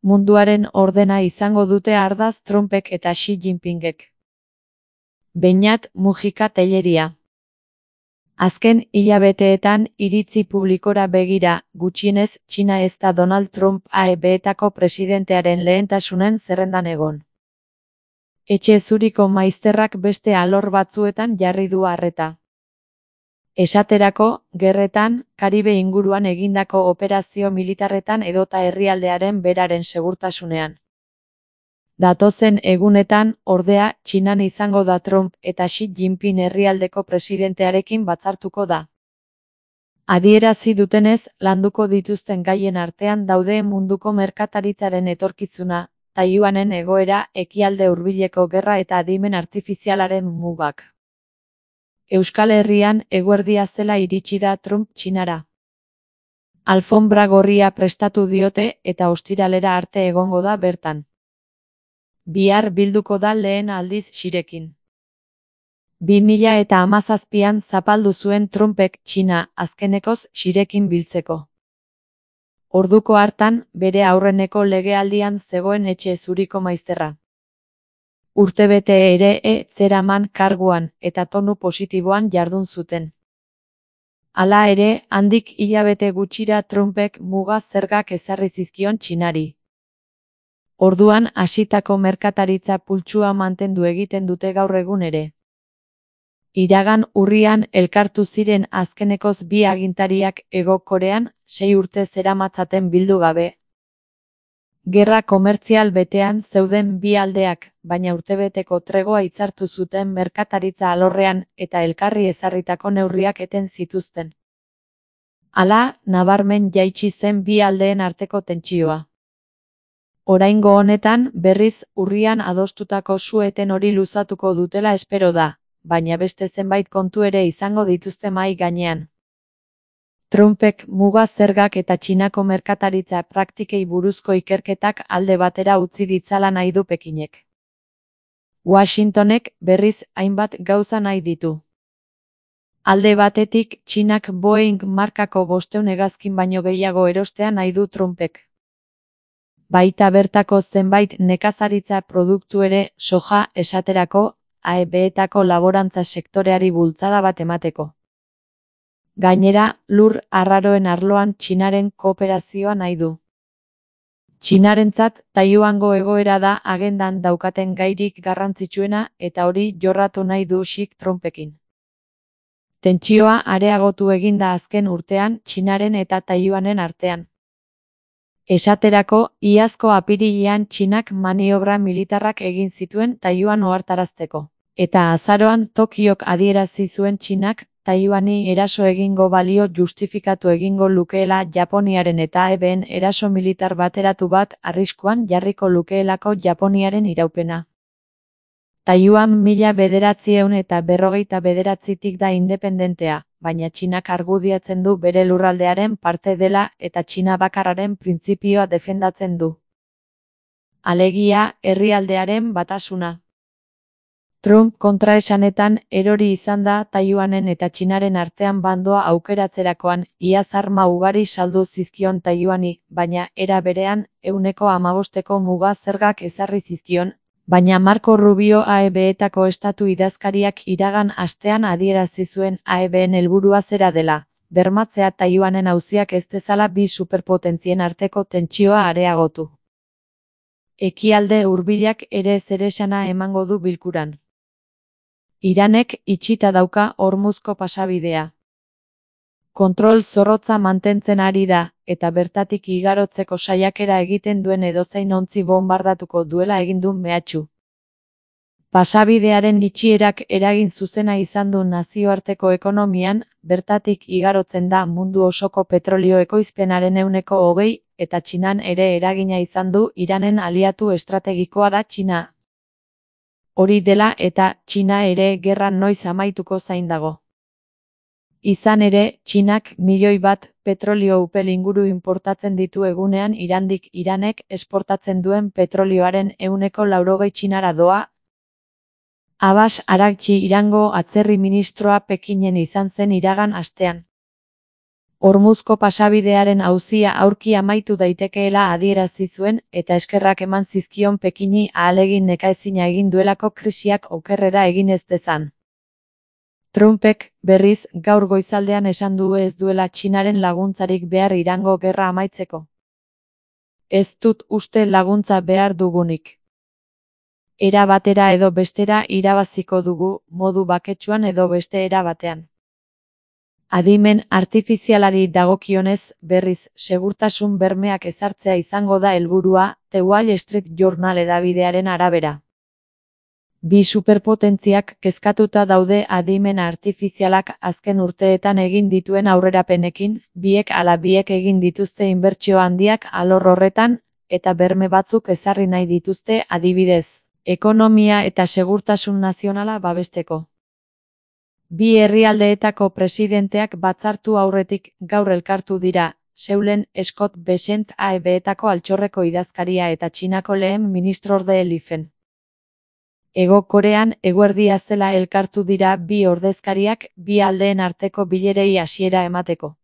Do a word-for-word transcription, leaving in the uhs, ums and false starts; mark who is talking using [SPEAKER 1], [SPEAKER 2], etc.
[SPEAKER 1] munduaren ordena izango dute ardatz Trumpek eta Xi Jinpingek. Beñat Mujika Telleria. Azken hilabeteetan iritzi publikora begira, gutxienez Txina ez da Donald Trump A E B-etako presidentearen lehentasunen zerrendan egon. Etxe zuriko maizterrak beste alor batzuetan jarri du arreta. Esaterako, gerretan, Karibe inguruan egindako operazio militarretan edota herrialdearen beraren segurtasunean. Datozen egunetan, ordea, Txinan izango da Trump eta Xi Jinping herrialdeko presidentearekin batzartuko da. Adierazi dutenez, landuko dituzten gaien artean daude munduko merkataritzaren etorkizuna, Taiwanen egoera, ekialde hurbileko gerra eta adimen artifizialaren mugak. Euskal Herrian eguerdia zela iritsi da Trump Txinara. Alfonbra gorria prestatu diote eta ostiralera arte egongo da bertan. Bihar bilduko da lehen aldiz Xirekin. bi mila eta hamazazpian zapaldu zuen Trumpek Txina azkenekoz Xirekin biltzeko. Orduko hartan, bere aurreneko legealdian zegoen etxe zuriko maizterra. Urtebete ere e zeraman karguan eta tonu positiboan jardun zuten. Hala ere, handik hilabete gutxira Trumpek muga zergak ezarri zizkion Txinari. Orduan hasitako merkataritza pultsua mantendu egiten dute gaur egun ere. Iragan urrian elkartu ziren azkenekoz bi agintariak Hego Korean, sei urte zeramatzaten bildu gabe. Gerra komertzial betean zeuden bi aldeak, baina urtebeteko tregoa hitzartu zuten merkataritza alorrean eta elkarri ezarritako neurriak eten zituzten. Hala, nabarmen jaitsi zen bi aldeen arteko tentsioa. Oraingo honetan, berriz, urrian adostutako su-eten hori luzatuko dutela espero da, baina beste zenbait kontu ere izango dituzte mahai gainean. Trumpek muga zergak eta Txinako merkataritza praktikei buruzko ikerketak alde batera utzi ditzala nahi du Pekinek. Washingtonek, berriz, hainbat gauza nahi ditu. Alde batetik, Txinak Boeing markako bostehun hegazkin baino gehiago erostea nahi du Trumpek. Baita bertako zenbait nekazaritza produktu ere, soja esaterako, A E B-etako laborantza sektoreari bultzada bat emateko. Gainera, lur arraroen arloan Txinaren kooperazioa nahi du. Txinarentzat, Taiwango egoera da agendan daukaten gairik garrantzitsuena eta hori jorratu nahi du Xik Trumpekin. Tentsioa areagotu egin da azken urtean Txinaren eta Taiwanen artean. Esaterako, iazko apirilean Txinak maniobra militarrak egin zituen Taiwan ohartarazteko. Eta azaroan Tokiok adierazi zuen Txinak, Taiwani eraso egingo balio justifikatu egingo lukeela Japoniaren eta A E B-en eraso militar bateratu bat arriskuan jarriko lukeelako Japoniaren iraupena. Taiwan mila bederatziehun eta berrogeita bederatzitik da independentea, baina Txinak argudiatzen du bere lurraldearen parte dela eta Txina bakarraren printzipioa defendatzen du. Alegia, herrialdearen batasuna. Trump kontraesanetan erori izan da Taiwanen eta Txinaren artean bandoa aukeratzerakoan, iaz arma ugari saldu zizkion Taiwani, baina era berean, ehuneko hamabosteko muga zergak ezarri zizkion, baina Marco Rubio A E B-etako estatu idazkariak iragan astean adierazi zuen A E B-en helburua zera dela, bermatzea Taiwanen auziak ez dezala bi superpotentzien arteko tentsioa areagotu. Ekialde hurbilak ere zeresana emango du bilkuran. Iranek itxita dauka Hormuzko pasabidea. Kontrol zorrotza mantentzen ari da, eta bertatik igarotzeko saiakera egiten duen edozein ontzi bonbardatuko duela egin du mehatxu. Pasabidearen itxierak eragin zuzena izan du nazioarteko ekonomian, bertatik igarotzen da mundu osoko petrolio ekoizpenaren ehuneko hogei, eta Txinan ere eragina izan du Iranen aliatu estrategikoa da Txina. Hori dela eta Txina ere gerra noiz amaituko zain dago. Izan ere, Txinak milioi bat petrolio upel inguru inportatzen ditu egunean Irandik Iranek esportatzen duen petrolioaren ehuneko laurogei Txinara doa. Abbas Araghchi Irango atzerri ministroa Pekinen izan zen iragan astean. Hormuzko pasabidearen auzia aurki amaitu daitekeela adierazi zuen eta eskerrak eman zizkion Pekini ahalegin nekaezina egin duelako krisiak okerrera egin ez dezan. Trumpek, berriz, gaur goizaldean esan du ez duela Txinaren laguntzarik behar Irango gerra amaitzeko. Ez dut uste laguntza behar dugunik. Era batera edo bestera irabaziko dugu, modu baketsuan edo beste era batean. Adimen artifizialari dagokionez, berriz, segurtasun bermeak ezartzea izango da helburua, The Wall Street Journal hedabidearen arabera. Bi superpotentziak kezkatuta daude adimen artifizialak azken urteetan egin dituen aurrerapenekin, biek ala biek egin dituzte inbertsio handiak alor horretan, eta berme batzuk ezarri nahi dituzte adibidez, ekonomia eta segurtasun nazionala babesteko. Bi herrialdeetako presidenteak batzartu aurretik gaur elkartu dira, Seulen Scott Bessent A E B-etako altxorreko idazkaria eta Txinako lehen ministrorde Lifen. Hego Korean eguerdia zela elkartu dira bi ordezkariak bi aldeen arteko bilerei hasiera emateko.